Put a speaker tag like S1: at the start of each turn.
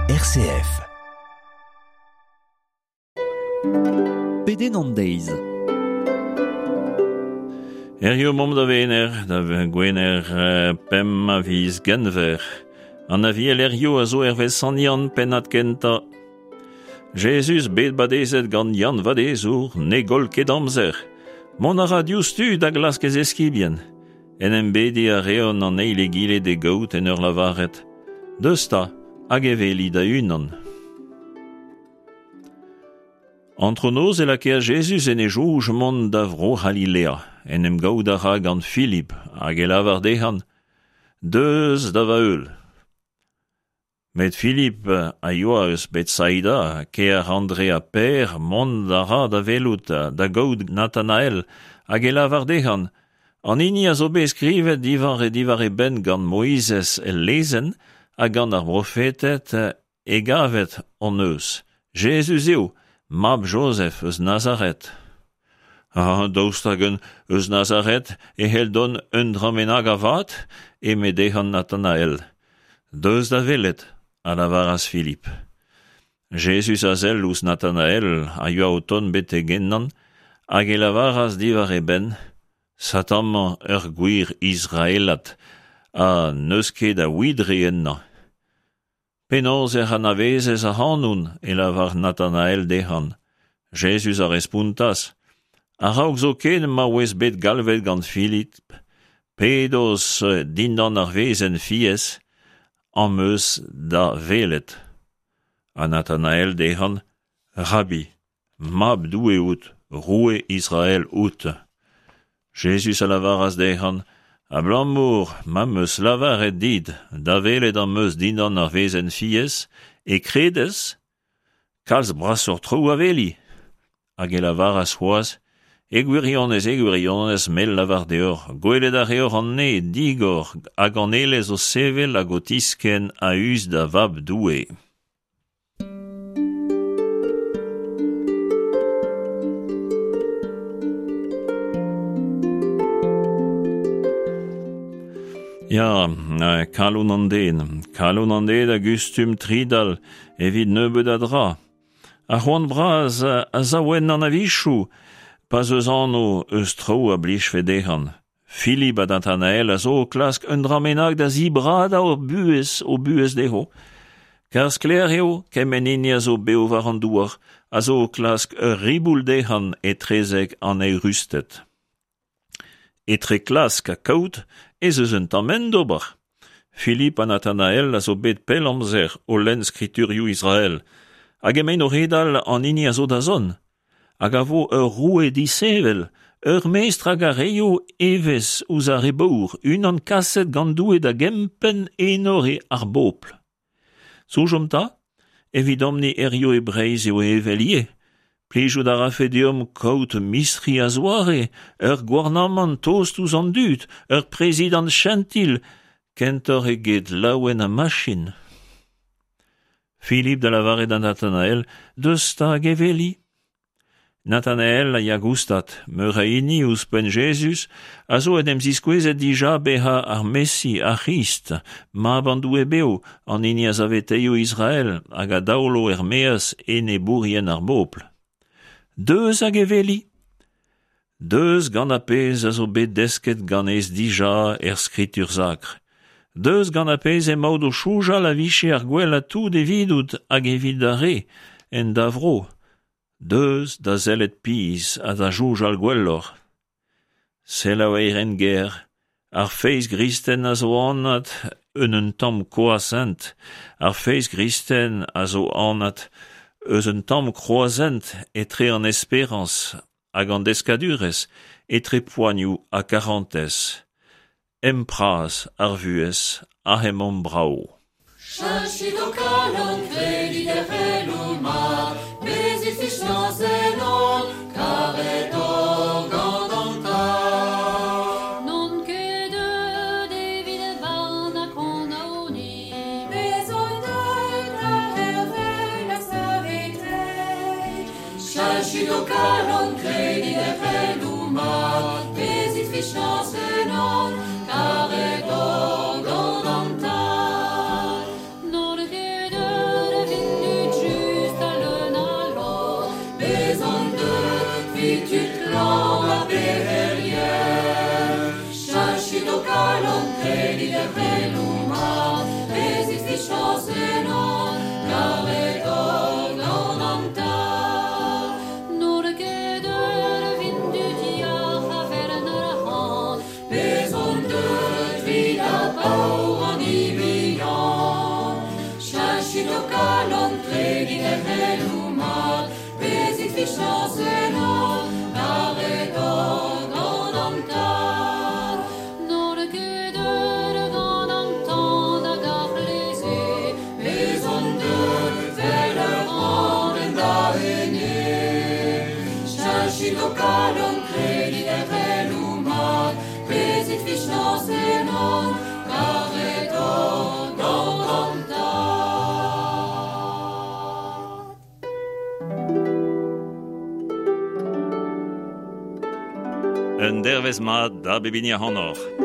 S1: RCF.
S2: Pedenn an deiz.
S3: Herrio momp da Wener, da Gwener pemp a viz Genver. An aviel Herrio a zo hervez Sant Yann pennad kentañ. Jezuz bet badezet gant Yann Vadezour ne goll ket amzer. Mont a ra diouzhtu da glask e zeskibien. En em bediñ a reont an eil egile d'e gaout en ur lavaret Deus 'ta, hag e weli da-unan. Antronoz e lakaas Jezuz en e soñj mont da Vro-C'halilea. En em gaout a ra gant Filip hag e lavar dezhañ Deus da va heul. Met Filip a yoa eus Betsaida, kêr Andre ha Pêr, mont a ra da welout, da gaout Natanael, hag e lavar dezhañ, An hini a zo bet skrivet diwar e diwar e benn gant Moizez el lezenn ha gant ar brofeted e gavet hon eus. Jezuz eo, mab Jozef eus Nazaret. Ah, daoust hag un eus Nazaret e c'hell dont un dra bennak a vat? eme dezhañ Natanael. Deus da welet, a lavaras Filip. Jezuz a sell ouzh Natanael a yoa o tont betek ennañ hag e lavaras diwar e benn, Sat amañ ur gwir Israelad ha n'eus ket a widre ennañ. Penaos ec'h anavezez ac'hanon? e lavar Natanael dezhañ. Jezuz a respontas, A-raok zoken ma oas bet galvet gant Filip, p'edos dindan ar wezenn fiez, am eus da welet. Ha Natanael dezhañ, Rabbi, Mab Doue out, roue Israel out. Jezuz a lavaras dezhañ, Abalamour ma'm eus lavaret dit, da welet am eus dindan ar wezenn fiez, e kredez? Kalz brasoc'h traoù a weli. Hag e lavaras c'hoazh, E gwirionez, e gwirionez, me lavar deoc'h, gwelet a reoc'h an neñv digor hag an aelez o sevel hag o tiskenn a-us da Vab Doue. Ya, kalon an den. Kalon an den a gustum tridal evit nebeut a dra. Ar c'hoant bras a sav ennañ a-wechoù pa'z eus anv eus traoù a blijfe dezhañ. Filip ha Nathanael a zo o klask un dra bennak da zibradañ o buhez, o buhez dezho. Kar sklaer eo kement hini a zo bev war an douar a zo o klask ur riboul dezhañ etrezek an eürusted. Etre klask ha kaout ez eus un tamm hent d'ober. Filip ha Nathanael a zo bet pell amzer o lenn skriturioù Israel, hag emaint o redal an hini a zo da zont. Hag a vo ur roue disheñvel, ur mestr hag a reio evezh ouzh ar re baour, unan kaset gant Doue da gempenn enor ar bobl. Soñjomp 'ta, evidomp-ni hiziv e Breizh eo evel ivez. Plijout a rafe deomp kaout mistri a-zoare, ur gouarnamant tost ouzh an dud, ur prezidant chentil, kentoc'h eget laouen ha machin. Filip da lavaret da Nathanael, Deus 'ta hag e weli. Nathanael a ya goustad, meur a hini ouzhpenn Jezuz a zo en em ziskouezet dija bezañ ar Mesi, ar C'hrist, mab an Doue bev, an hini a saveteio Israel hag a daolo er-maez enebourien ar bobl. Deus hag e weli. Deus gant ar pezh a zo bet desket ganez dija er Skritur Sakr. Deus gant ar pezh emaout o soñjal a vije ar gwellañ tout evidout hag evit da re, en da vro. Deus da sellet pizh ha da soñjal gwelloc'h. Selaou Eirenger, ar feiz gristen a zo anat en un tamm kroazhent, ar feiz gristen a zo anat eus un tamm kroazhent etre an esperañs hag an deskadurezh etre poanioù ha karantez. Empraz ar vuhez aze emaomp brav.
S4: Cheñchit ho kalon, kredit er c'heloù mat, bezit fiziañs ennon, karet oc'h gant an Tad.
S5: N'on ket deuet evit barn ha kondaoniñ.
S4: Me zo deuet da c'hervel ha saveteiñ. Cheñchit ho kalon, kredit er c'heloù mat, bezit fiziañs ennon, karet oc'h gant an Tad.
S5: N'on ket deuet
S4: Kredit er c'heloù mat, bezit fichañs ennon, karet oc'h gant an Tad. N'on ket deuet gant an tan hag ar c'hleze, bez on deuet 'vel ur c'hranenn da ene. Cheñchit ho kalon, kredit er c'heloù mat, bezit fichañs ennon, karet oc'h gant an Tad.
S3: Un dervezh mat da bep hini ac'hanoc'h.